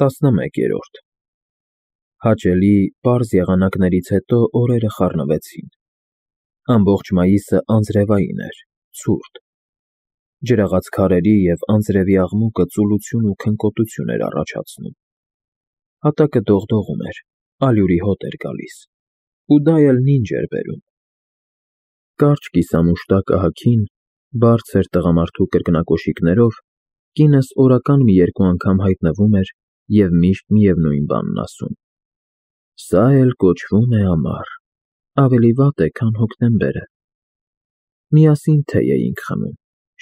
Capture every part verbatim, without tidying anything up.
տասնմեկերորդ Հաճելի, պարզ եղանակներից հետո օրերը խառնվեցին, ամբողջ մայիսը անձրևային էր, ցուրտ, ջրաղաց քարերի և անձրևի աղմուկը ծուլություն ու քնկոտություն էր առաջացնում, հատակը դողդողում էր, ալյուրի հոտ էր գալիս, ու դա էլ նինջ էր բերում, կարճ կիսամուշտակ ահագին, բարձր տղամարդու կրկնակոշիկներով, կինս օրական մի երկու անգամ հայտնվում էր և միշտ միևնույն բանն ասում. «Սա էլ կոչվում է ամառ, ավելի վատ է, քան հոկտեմբերը»։ Միասին թեյ էինք խմում,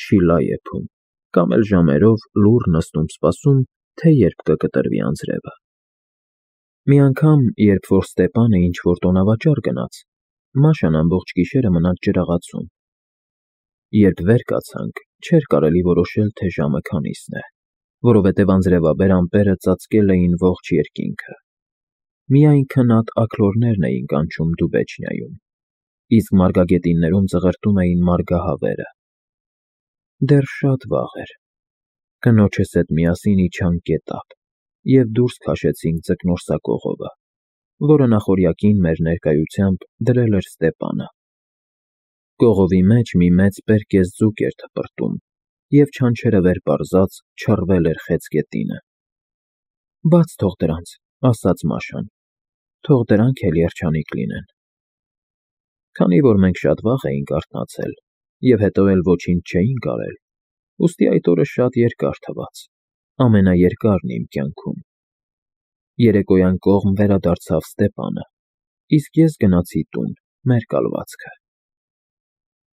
շիլա եփում, կամ էլ ժամերով լուռ նստում սպասում, թե երբ կկտրվի անձրևը։ Մի անգամ, երբ որ Ստեպանը ինչ-որ տոնավաճառ գնաց, Մաշան ամբողջ գիշերը մնաց ջրաղացում։ Երբ վեր կացանք, չէր կարելի որոշել, թե ժամը քանիսն է, որովհետև անձրևաբեր ամպերը ծածկել էին ողջ երկինքը։ Միայն քնած աքլորներն էին կանչում Դուբեչնիայում, իսկ մարգագետիններում ծղրտում էին մարգահավերը։ Դեռ շատ վաղ էր։ Կնոջս հետ միասին իջանք գետափ և դուրս քաշեցինք Ձկնորսակողովը, որը նախօրյակին մեր ներկայությամբ դրել էր Ստեպանը։ Կողովի մեջ մի մեծ պերկես ձուկ էր թպրտում, և չանչերը վեր պարզած չռվել էր խեց գետինը։ «Բաց թող դրանց», ասաց Մաշան, «թող դրանք էլ երջանիկ լինեն»։ Քանի որ մենք շատ վաղ էինք արթնացել և հետո էլ ոչինչ չէինք արել, ուստի այդ օրը շատ երկար թվաց, ամենաերկարն իմ կյանքում։ Երեկոյան կողմ վերադարձավ Ստեպանը, իսկ ես գնացի տուն, մեր կալվածքը։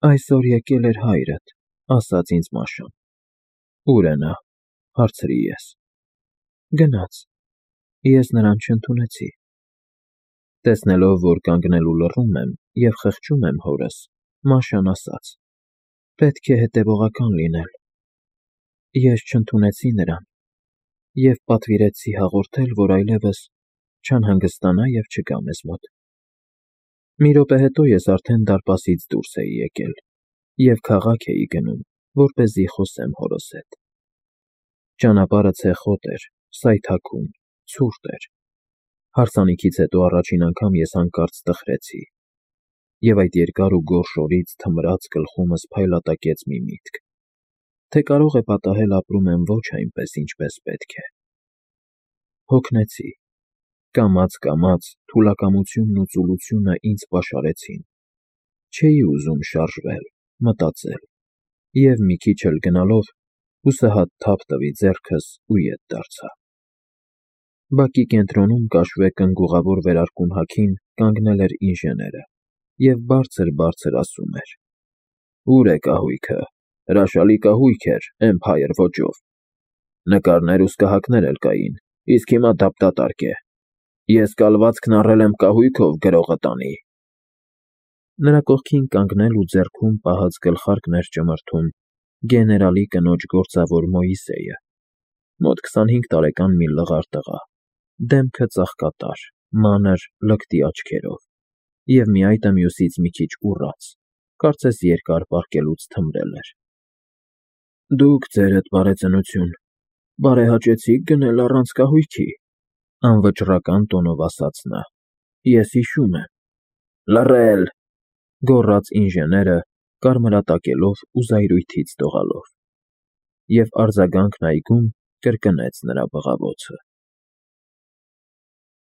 «Այսօր եկել էր հայրդ», ասաց ինձ Մաշան։ «Ո՞ւր է նա», հարցրի ես։ «Գնաց, ես նրան չընդունեցի»։ Տեսնելով, որ կանգնել ու լռում եմ և խղճում եմ հորս, Մաշան ասաց. «Պետք է հետևողական լինել։ Ես չընդունեցի նրան և պատվիրեցի հաղորդել, որ այլևս չանհանգստանա և չգա մեզ մոտ»։ Մի րոպե հետո ես արդեն դարպասից դուրս էի եկել և քաղաք էի գնում, որպեսզի խոսեմ հորս հետ։ Ճանապարհը ցեխոտ էր, սայթաքուն, ցուրտ էր։ Հարսանիքից հետո առաջին անգամ ես հանկարծ տխրեցի, և այդ երկար ու գորշ օրից թմրած գլխումս փայլատակեց մի միտք, թե կարող է պատահել ապրում եմ ոչ այնպես, ինչպես պետք է։ Հոգնեցի։ Կամաց֊կամաց թուլակամությունն ու ծուլությունը ինձ պաշարեցին։ Չէի ուզում շարժվել, մտածել, և մի քիչ էլ գնալով հուսահատ թափ տվի ձեռքս ու ետ դարձա։ Բակի կենտրոնում կաշվե կնգուղավոր վերարկուն հագին կանգնել էր ինժեները և բարձր֊բարձր ասում էր. «Ո՞ւր է կահույքը, հրաշալի կահույք էր, էմփայր ոճով։ Նկարներ ու սկահակներ էլ կային, իսկ հիմա դափդատարկ է։ Ես կալվածքն առել եմ կահույքով գրողը տանի»։ Նրա կողքին կանգնել ու ձեռքում պահած գլխարկն էր ճմրթում գեներալի կնոջ գործավոր Մոյսեյը, մոտ քսանհինգ տարեկան մի լղար տղա, դեմքը ծաղկատար, մանր, լկտի աչքերով և մի այտը մյուսից մի քիչ ուռած, կարծես երկար պառկելուց թմրել էր։ «Դուք ձերդ, բարեծնություն, բարեհաճեցի՞ք գնել առանց կահույքի», անվճռական տոնով ասաց նա։ «Ես հիշում եմ»։ «Լռել», գոռաց ինժեները, կարմրատակելով ու զայրույթից դողալով, և արձագանքն այգում կրկնեց նրա բղավոցը։